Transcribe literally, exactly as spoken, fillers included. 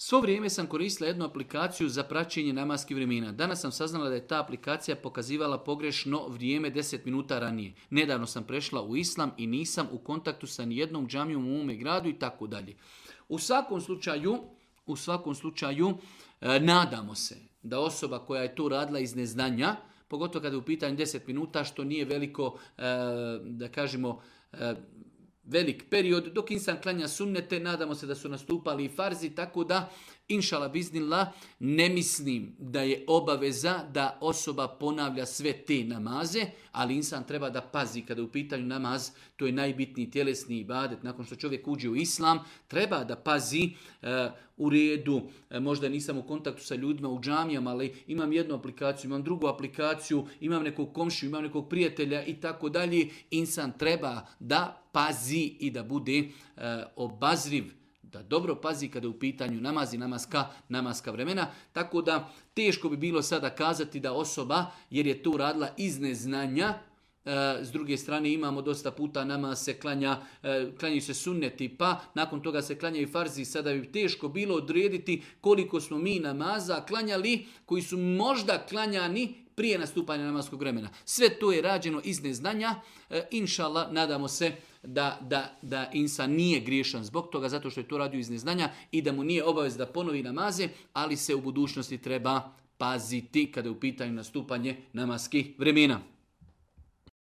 Svo vrijeme sam koristila jednu aplikaciju za praćenje namaskih vremena. Danas sam saznala da je ta aplikacija pokazivala pogrešno vrijeme deset minuta ranije. Nedavno sam prešla u islam i nisam u kontaktu sa nijednom džamijom u mome gradu i tako dalje. U svakom slučaju, u svakom slučaju e, nadamo se da osoba koja je to radila iz neznanja, pogotovo kada je u pitanju deset minuta, što nije veliko, e, da kažemo, e, velik period, dok insan klanja sunnete, nadamo se da su nastupali i farzi, tako da, inšala biznillah, ne mislim da je obaveza da osoba ponavlja sve te namaze, ali insan treba da pazi kada je u pitanju namaz, to je najbitniji tjelesni ibadet, nakon što čovjek uđe u islam, treba da pazi e, u redu, e, možda nisam u kontaktu sa ljudima u džamijama, ali imam jednu aplikaciju, imam drugu aplikaciju, imam nekog komšiju, imam nekog prijatelja i tako dalje, insan treba da pazi i da bude e, obazriv, da dobro pazi kada je u pitanju namazi, namaska, namaska vremena. Tako da teško bi bilo sada kazati da osoba, jer je to radila iz neznanja, e, s druge strane imamo dosta puta namaz se klanja, e, klanjaju se sunneti, pa nakon toga se klanjaju farzi, sada bi teško bilo odrediti koliko smo mi namaza klanjali koji su možda klanjani prije nastupanja namaskog vremena. Sve to je rađeno iz neznanja. E, inšallah, nadamo se da, da, da insan nije griješan zbog toga, zato što je to radio iz neznanja i da mu nije obavez da ponovi namaze, ali se u budućnosti treba paziti kada je u pitanju nastupanje namaskih vremena.